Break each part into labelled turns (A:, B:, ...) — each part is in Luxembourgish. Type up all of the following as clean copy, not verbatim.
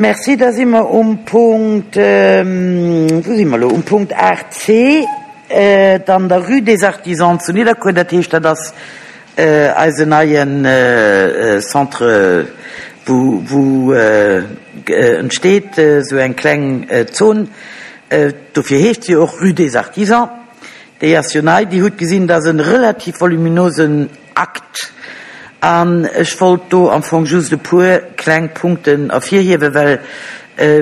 A: Merci. Da si mer um Punkt, wou si mer elo? Um Punkt 8c, dann der Rue des Artisans zu Nidderkuer. Dat heescht, dat ass eisen neien Centre, wou, wou entsteet esou eng kleng Zon. Dofir heescht se jo och Rue des Artisans. Déi ass jo nei. Dir hutt gesinn, dat ass e relativ voluminosen Akt. An ech wollt do am Fong just e puer kleng Punkten ervirhiewen, well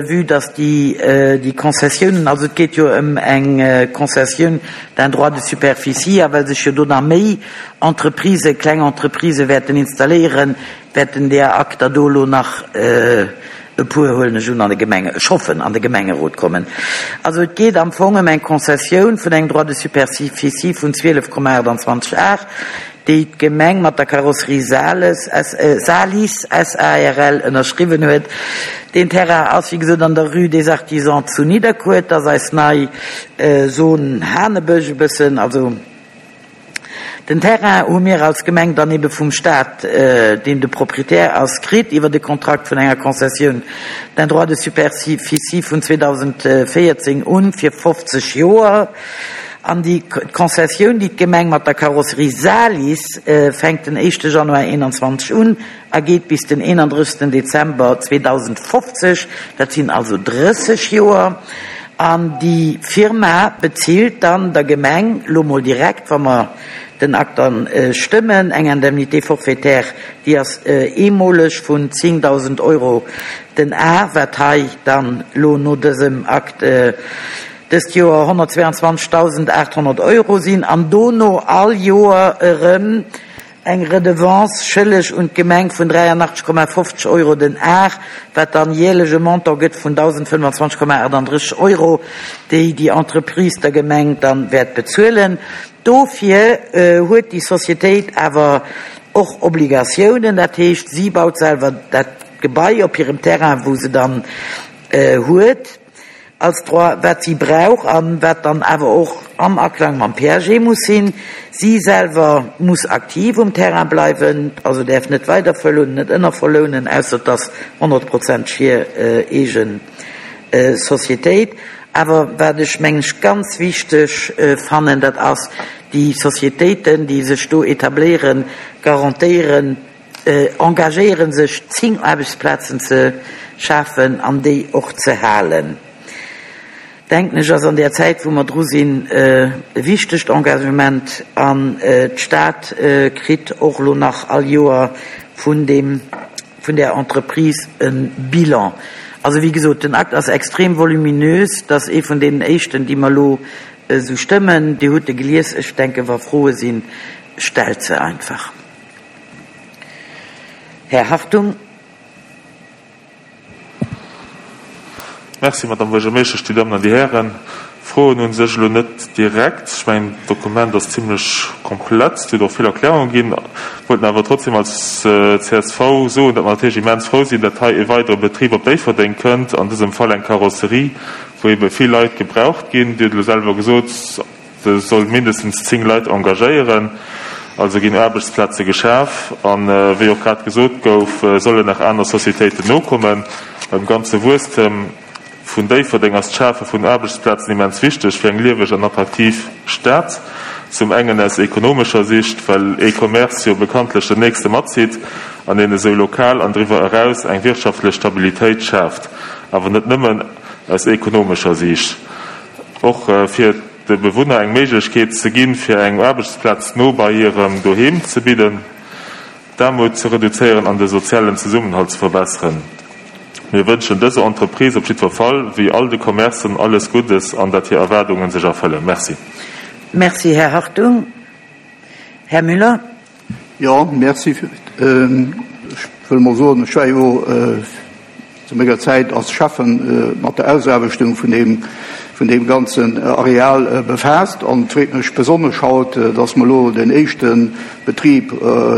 A: vue dass déi, déi Konzessiounen, also et geet jo ëm eng Concessioun d'un droit de superficie, a well sech jo do nach méi Entreprisen, kleng Entreprisë wäerten installéieren, wäerten där Akter do elo nach e puer, huelen ech un, an de Gemenge, ech hoffen, an de Gemengerot kommen. Also et geet am Fong ëm eng Konzessioun vun engem Droit de superficie vun 12,28 Ar, déi d'Gemeng mat der Carrosserie Sales, Salis SARL ënnerschriwwen huet. Deen Terrain ass, wéi gesot, an der Rue des Artisans zu Nidderkuer. Et ass eis nei Zone Hanebësch e bëssen, also. Den Terrain hu mir als Gemeng dann ebe vum Stat, deen de Proprietär ass, kritt iwwert e Kontrakt vun enger Concessioun d'un droit de superficie vun 2014 un fir 50 Joer. An déi Concessioun, déi d'Gemeng mat der Carrosserie Salis fänkt den éischte Januar 21 un a geet bis den 31 Dezember 2050, dat sinn also 30 Joer. An déi Firma bezilt dann der Gemeng lo mol direkt, wa mer den Akt dann stëmmen, eng Indemnité forfaitaire, déi ass eemoleg vun 10.000 Euro den Ar, wat hei dann lo no dësem Akt dëst Joer 122.800 Euro sinn, an dono all Joer erëm Eng Redevance schëlleg un d'Gemeng vun 83,50 Euro den Ar, wat dann jäerlech e Montant gëtt vun 1.025,38 Euro, déi déi Entreprise der Gemeng dann wäert bezuelen. Dofir huet déi Societéit awer och Obligatiounen, dat heescht, si baut selwer dat Gebai op hirem Terrain, wou se dann huet. Als Droit, wat si brauch an wat dann awer och am Aklang mam PAG muss sinn. Si selwer muss aktiv um Terrain bleiwen, also däerf net weider verlounen, net ënnerverlounen, ausser et ass honnertprozenteg hir eegen Societéit. Awer wat ech, mengen ech, ganz wichteg fannen, dat ass, déi Societéiten, déi sech do etabléieren, garantéieren, engagéiere sech, 10 Aarbechtsplazen ze schafen an déi och ze halen, denken ech, ass an där Zäit, wou mer dru sinn, e wichtegt Engagement. An d'Stad kritt och elo nach all Joer vun deem, vun där Entreprise e Bilan. Also, wéi gesot, den Akt ass extrem voluminös. Dat ass ee vun deenen éischten, déi mer elo esou stëmmen. Dir hutt e gelies. Ech denken, wa Froe sinn, stellt se einfach. Här Hartung.
B: Merci, Madame Buergermeeschtesch, Dir Dammen an Dir Hären. Froen hu sech elo net direkt. Ech mengen, d'Dokument ass zimlech komplett. Et huet och vill Erklärunge ginn. Wollten awer trotzdem als csv soen, datt mer natierlech immens frou sinn, datt hei e weidere Betrib op Déifferdeng kënnt, an dësem Fall eng Karosserie, wou ebe vill Leit gebraucht ginn. Dir hutt elo selwer gesot, Se soll mindestens 10 Leit engagéieren, also ginn Aarbechtsplaze geschaf. A wéi och grad gesot gouf, sollen nach aner Societéiten nokommen. Beim ganze Wuesstem vun Déifferdeng ass d'Schafe vun Aarbechtsplazen immens wichteg fir eng lieweg an attraktiv Stad. Zum engen aus ekonomescher Sicht, well ee Commerce jo bekanntlech den nächste matzitt an een esou lokal an driwwer eraus eng wirtschaftlech Stabilitéit schaaft. Awer net nëmmen aus ekonomescher Siicht. Och fir de Bewunner eng Méiglechkeet ze ginn, fir eng Aarbechtsplaz no bei hirem Doheem ze bidden, d'Aarmut ze reduzéieren an de sozialen Zesummenhalt ze verbesseren. Mir wënschen dëser Entreprise op jiddwer Fall, wéi all de Commercen, alles Guddes an dat hir Erwaardungen sech erfëllen. Merci.
A: Merci, Här Hartung. Här Müller.
C: Jo, merci. Ech wëll emol soen, ech war jo zu menger Zäit als Schäffen mat der Ausaarbechtung vun deem, vun deem ganzen Areal befaasst. An et freet mech besonnesch haut, dass mer elo den éischte Betrib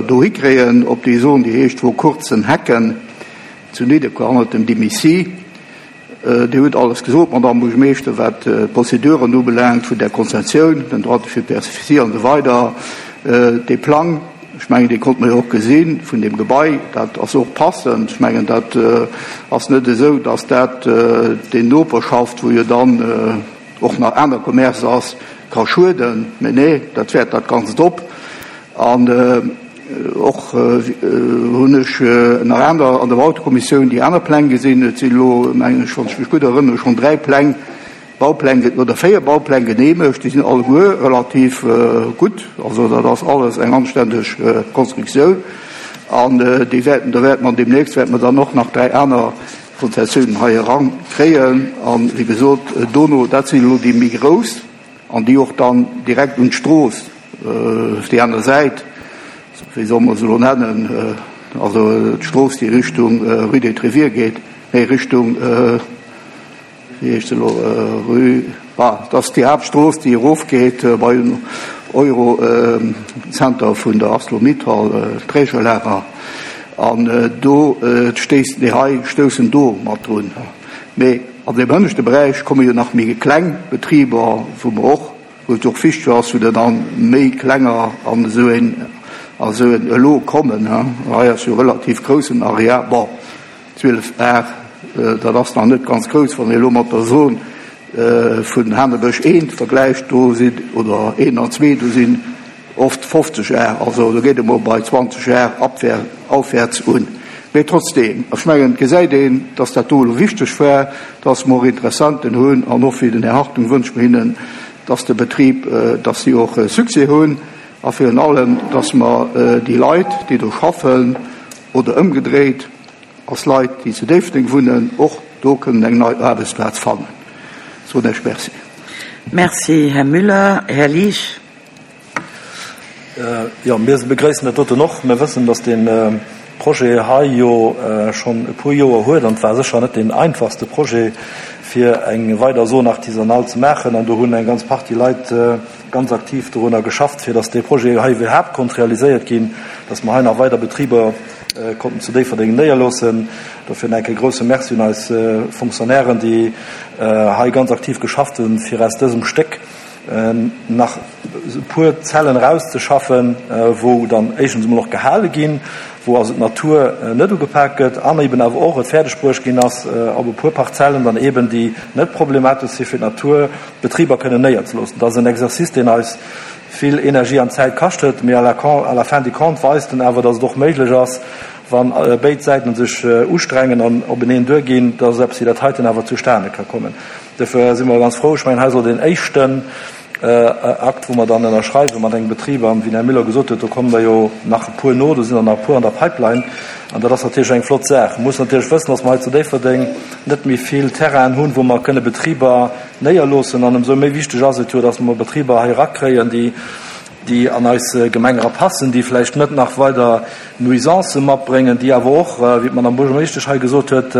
C: dohi kréien op déi Zon, déi heescht Vor kurzen Hecken zu Nidderkuer, hannert dem Dimisi. Dir hutt alles gesot, Madamm Buergermeeschter, wat d'Prozeduren ubelaangt vun där Konzessioun, den Droit de superficie an esou weider, dee Plang. Ech mengen, dee konnt mer jo och gesi vun deem Gebai. Dat ass och passend. Ech mengen, dat ass net esou, dass dat déi Noperschaft, wou jo dann och nach aner Commerce ass, ka schueden. Mä nee, dat wäert dat Ganzt op. An och hunn ech nach aner an der Bautekommissioun déi aner Pläng gesinn. Et sinn elo, mengen ech, wann ech mech gutt erënnere, schonn 3 Pläng, Baupläng oder 4 Baupläng geneemegt. Déi sinn alleguer relativ gutt. Also dat ass alles eng anständeg Konstruktioun. An déi wäerten, da wäerte mer deemnächst wäerte mer dann och nach 3 aner Konzessiounen hei erankréien. An, wéi gesot, dono, dat sinn elo déi méi grouss an déi och dann direkt un d'Strooss op déi aner Säit, wéi solle mer se elo nennen, also d'Strooss, déi Richtung Rue des Tréviers geet, nee, Richtung, wéi heescht se elo, Rue, ah, dat ass déi Haaptstrooss, déi erofgeet bei den Eurocenter vun der Arcelor-Mittal, d'Trägerlager, an do stéisst, déi hei stoussen do mat drun. Mee an deem hënneschte Beräich komme jo nach méi kleng Betriber, wou mer och, wou et och wichteg ass, wou der dann méi klenger an esou een, a esou en elo kommen. Hei ass jo e relativ groussen Areal, bon, 12 Ar, dat ass nach net ganz grouss, wann ee elo mat der Zon vun Hanebësch I vergläicht, do sinn, oder een an zwee, do sinn oft 50 Ar, also do geet emol bei 20 Ar aufwärts un. Mee trotzdeem, ech mengen, et gesäit een, dass dat do elo wichteg war, dass mer och Interessenten hunn an och wéi den Här Hartung wënsche mer hinnen, dass de Betrib, dass si och Succès hunn a virun allem, dass mer déi Leit, déi do schaffen oder ëmgedréit, als Leit, déi zu Déifferdeng wunnen, och do kënnen eng nei Aarbechtsplaz fannen. Soen ech Merci.
A: Merci, Här Müller. Här Liesch.
D: Jo, mir begréissen dat doten och. Mir wëssen, dass dee Projet hei jo schonn e puer Joer huet an et war sécher net deen einfachste Projet, fir eng weider Zone artisanale ze maachen. An do hunn eng ganz Partie Leit ganz aktiv dorunner geschafft, fir dass dee Projet hei iwwerhaapt konnt realiséiert ginn, dass mer hei nach weider Betriber konnten zu Déifferdeng néierloossen. Dofir en enke grouse Merci un eis Fonctionnairen, déi hei ganz aktiv geschafft hunn, fir aus dësem Stéck nach e puer Zellen erauszeschaffen, wou dann éischtens emol och gehale ginn, wou also d'Natur net ugepak gëtt an eben awer och et fäerdeg bruecht ginn ass, op e puer Parzellen dann eben, déi net problematesch si fir d'Natur, Betriber kënnen néierzeloossen. Dat ass en Exercice, deen eis vill Energie an Zäit kascht huet, mee à la fin du compte weist en awer, dass et och méiglech ass, wa béid Säiten sech ustrengen an openeen duerginn, dass eppes wéi dat heiten awer zustane ka kommen. Dofir si mer ganz frou. Ech mengen, hei soll deen éischten Akt, wou mer dann ënnerschreiwe mat engem Betrib, an wéi den Här Müller gesot huet, do kommen der jo nach e puer no, do sinn der nach e puer an der Pipeline, an dat ass natierlech eng flott Saach. Mir mussen natierlech wëssen, dass mer hei zu Déifferdeng net méi vill Terrainen hunn, wou mer kënne Betriber néierloossen, an ëmsou méi wichteg ass et jo, dass mer Betriber hei erakréien, déi, déi an eis Gemeng erapassen, déi vläicht net nach weider Nuisancë matbréngen, déi awer och, wéi d'Madame Buergermeeschtesch hei gesot huet,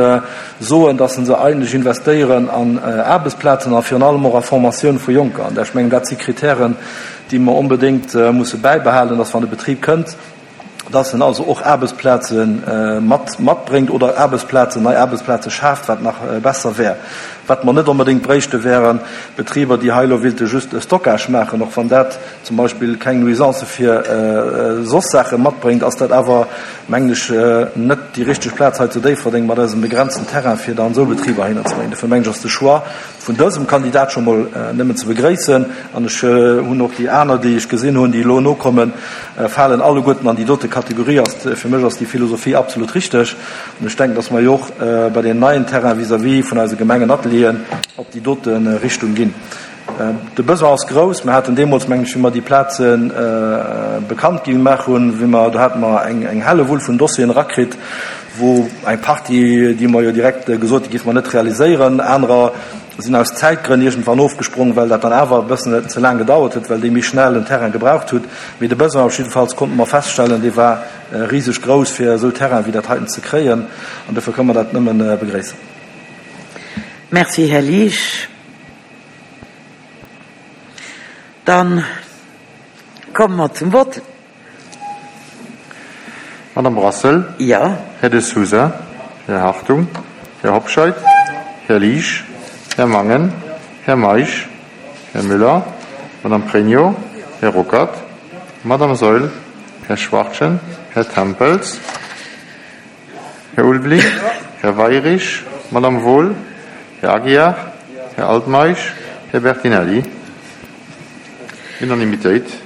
D: soen, dass se eigentlech investéieren an Aarbechtsplazen a virun allem och a Formatioun vu Jonker. An ech mengen, dat si Kritären, déi mer onbedéngt musse bäibehalen, dass wann e Betrib kënnt, dass en also och Aarbechtsplaze mat matbréngt oder Aarbechtsplazen, nei Aarbechtsplaze schaaft, wat nach besser wär. Wat mer net onbedéngt bréichte wären Betriber, déi hei elo willte just e Stockage maachen, och wann dat zum Beispill keng Nuisance fir soss Saache matbréngt, ass dat awer, mengen ech, net déi richteg Plaz hei zu Déifferdeng mat eisem begrenzten Terrain, fir dann esou Betriber heihinner ze bréngen. Dofir mengen ech, ass de Choix vun dësem Kandidat scho mol nëmmen ze begréissen. An ech hunn och déi aner, déi ech gesinn hunn, déi elo nokommen, falen alleguerten an déi dote Kategorie. Ass, fir mech ass déi Philosophie absolut richteg. An ech denken, dass mer jo och bei deenen neien Terrainen vis-à-vis vun eise Gemengenatelieren op déi dote Richtung ginn. De Besoin ass grouss. Mir haten deemools, mengen ech, wéi mer déi Plaze bekannt gemaach hunn, wéi mer, do hate mer eng Hellewull vun Dossieren erakritt, wou eng Partie, déi mer jo direkt gesot, déi géife mer net realiséieren, anerer sinn aus Zäitgrënn iergendwann ofgesprong, well dat dann awer e bëssen ze laang gedauert huet, well déi méi schnell en Terrain gebraucht hutt. Mee de Besoin op jiddefalls konnte mer feststellen, dee war riseg grouss, fir esou Terraine wéi dat heiten ze kréien. An dofir kënne mer dat nëmme begréissen.
A: Merci, Här Liesch. Dann komme mer zum Vott.
B: Madame Brassel?
A: Jo.
B: Här De Sousa? Här Hartung? Här Hobscheit? Här Liesch? Här Mangen? Här Meisch? Här Müller? Madame Pregno? Här Ruckert? Madame Saeul?
E: Här Schwachtgen, Här Tempels, Här Ulveling, Här Weirich, Madame Wohl, Här Aguiar, Här Altmeisch, Här Bertinelli. Unanimitéit.